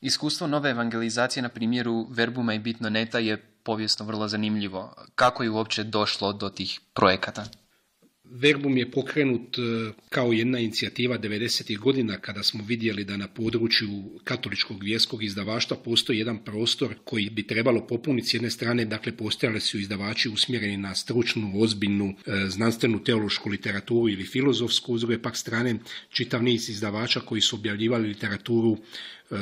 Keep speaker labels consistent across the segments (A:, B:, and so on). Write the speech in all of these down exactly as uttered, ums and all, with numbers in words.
A: Iskustvo nove evangelizacije na primjeru Verbuma i Bitnoneta je povijesno vrlo zanimljivo. Kako je uopće došlo do tih projekata?
B: Verbum je pokrenut kao jedna inicijativa devedesetih godina kada smo vidjeli da na području katoličkog vjerskog izdavaštva postoji jedan prostor koji bi trebalo popuniti. S jedne strane, dakle, postojali su izdavači usmjereni na stručnu, ozbiljnu, znanstvenu, teološku literaturu ili filozofsku, s druge pak strane čitav niz izdavača koji su objavljivali literaturu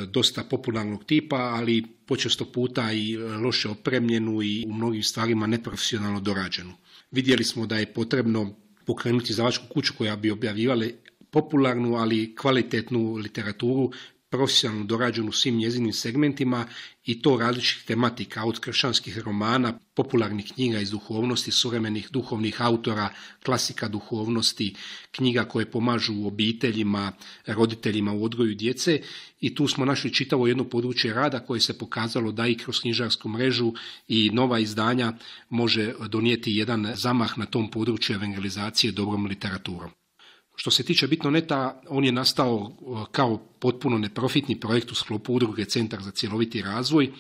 B: dosta popularnog tipa, ali počesto puta i loše opremljenu i u mnogim stvarima neprofesionalno dorađenu. Vidjeli smo da je potrebno pokrenuti izdavačku kuću koja bi objavljivala popularnu, ali kvalitetnu literaturu, profesionalno dorađenu u svim njezinim segmentima i to različitih tematika, od kršćanskih romana, popularnih knjiga iz duhovnosti, suvremenih duhovnih autora, klasika duhovnosti, knjiga koje pomažu obiteljima, roditeljima u odgoju djece, i tu smo našli čitavo jedno područje rada koje se pokazalo da i kroz knjižarsku mrežu i nova izdanja može donijeti jedan zamah na tom području evangelizacije dobrom literaturom. Što se tiče Bitnoneta, on je nastao kao potpuno neprofitni projekt u sklopu udruge Centar za cjeloviti razvoj,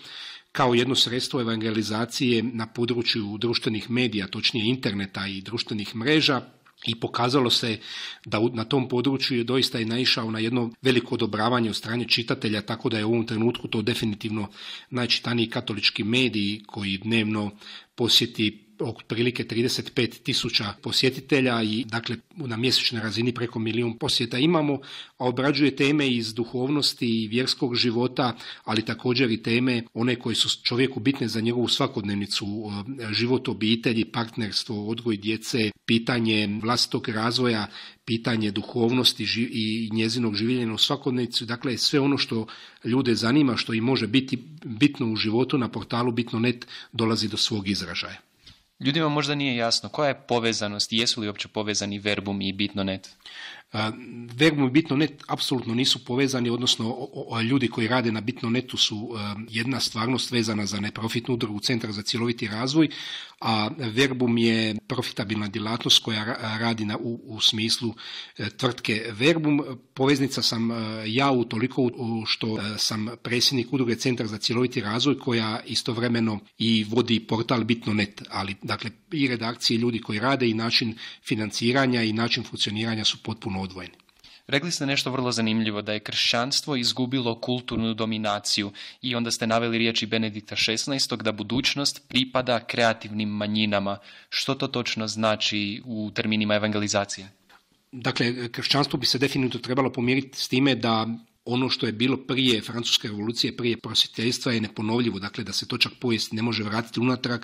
B: kao jedno sredstvo evangelizacije na području društvenih medija, točnije interneta i društvenih mreža, i pokazalo se da na tom području je doista i naišao na jedno veliko odobravanje od strane čitatelja, tako da je u ovom trenutku to definitivno najčitaniji katolički mediji koji dnevno posjeti otprilike trideset pet tisuća posjetitelja i dakle na mjesečnoj razini preko milijun posjeta imamo, a obrađuje teme iz duhovnosti i vjerskog života, ali također i teme one koje su čovjeku bitne za njegovu svakodnevnicu, život obitelji, partnerstvo, odgoj djece, pitanje vlastitog razvoja, pitanje duhovnosti i njezinog življenja u svakodnevnicu, dakle sve ono što ljude zanima, što im može biti bitno u životu, na portalu Bitnonet dolazi do svog izražaja.
A: Ljudima možda nije jasno koja je povezanost, jesu li uopće povezani Verbum i Bitnonet?
B: Verbum i Bitnonet apsolutno nisu povezani, odnosno o, o, ljudi koji rade na Bitnonetu su uh, jedna stvarnost vezana za neprofitnu udrugu Centar za cjeloviti razvoj, a Verbum je profitabilna djelatnost koja ra- radi na, u, u smislu uh, tvrtke Verbum. Poveznica sam uh, ja u toliko uh, što uh, sam predsjednik udruge Centar za cjeloviti razvoj koja istovremeno i vodi portal Bitnonet, ali dakle i redakcije, ljudi koji rade i način financiranja i način funkcioniranja su potpuno odvojeni.
A: Rekli ste nešto vrlo zanimljivo, da je kršćanstvo izgubilo kulturnu dominaciju i onda ste naveli riječi Benedikta šesnaestog da budućnost pripada kreativnim manjinama. Što to točno znači u terminima evangelizacije?
B: Dakle, kršćanstvo bi se definitivno trebalo pomiriti s time da ono što je bilo prije Francuske revolucije, prije prosvjetiteljstva je neponovljivo, dakle da se to čak povijest ne može vratiti unatrag,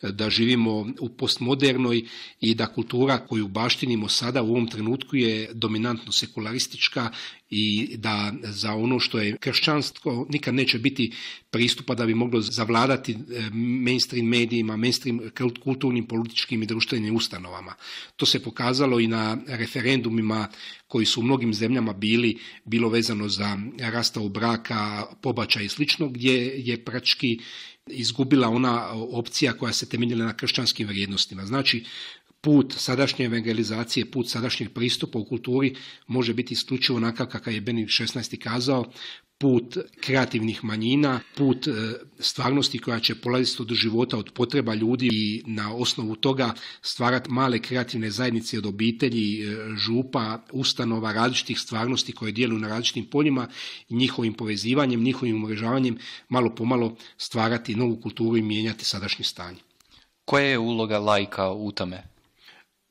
B: da živimo u postmodernoj i da kultura koju baštinimo sada u ovom trenutku je dominantno sekularistička i da za ono što je kršćanstvo nikad neće biti pristupa da bi moglo zavladati mainstream medijima, mainstream kulturnim, političkim i društvenim ustanovama. To se pokazalo i na referendumima koji su u mnogim zemljama bili, bilo vezano za rastavu braka, pobačaj i slično, gdje je praktički izgubila ona opcija koja se temeljila na kršćanskim vrijednostima. Znači, put sadašnje evangelizacije, put sadašnjeg pristupa u kulturi može biti isključivo onakav kakav je Benedikt šesnaesti kazao, put kreativnih manjina, put stvarnosti koja će polaziti od života, od potreba ljudi i na osnovu toga stvarati male kreativne zajednice od obitelji, župa, ustanova, različitih stvarnosti koje djeluju na različitim poljima i njihovim povezivanjem, njihovim umrežavanjem malo pomalo stvarati novu kulturu i mijenjati sadašnje stanje.
A: Koja je uloga laika u tome?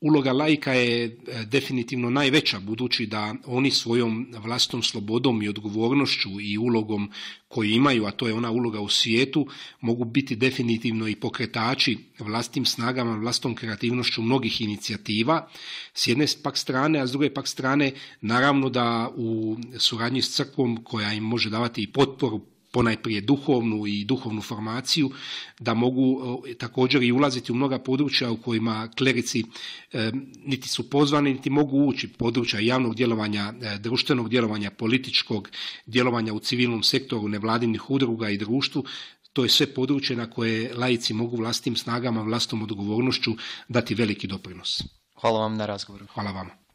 B: Uloga laika je definitivno najveća, budući da oni svojom vlastitom slobodom i odgovornošću i ulogom koju imaju, a to je ona uloga u svijetu, mogu biti definitivno i pokretači vlastitim snagama, vlastitom kreativnošću mnogih inicijativa, s jedne pak strane, a s druge pak strane naravno da u suradnji s crkvom koja im može davati i potporu, ponajprije duhovnu i duhovnu formaciju, da mogu e, također i ulaziti u mnoga područja u kojima klerici e, niti su pozvani, niti mogu ući, područja javnog djelovanja, e, društvenog djelovanja, političkog djelovanja u civilnom sektoru, nevladinih udruga i društvu. To je sve područje na koje laici mogu vlastitim snagama, vlastitom odgovornošću dati veliki doprinos.
A: Hvala vam na razgovoru.
B: Hvala vama.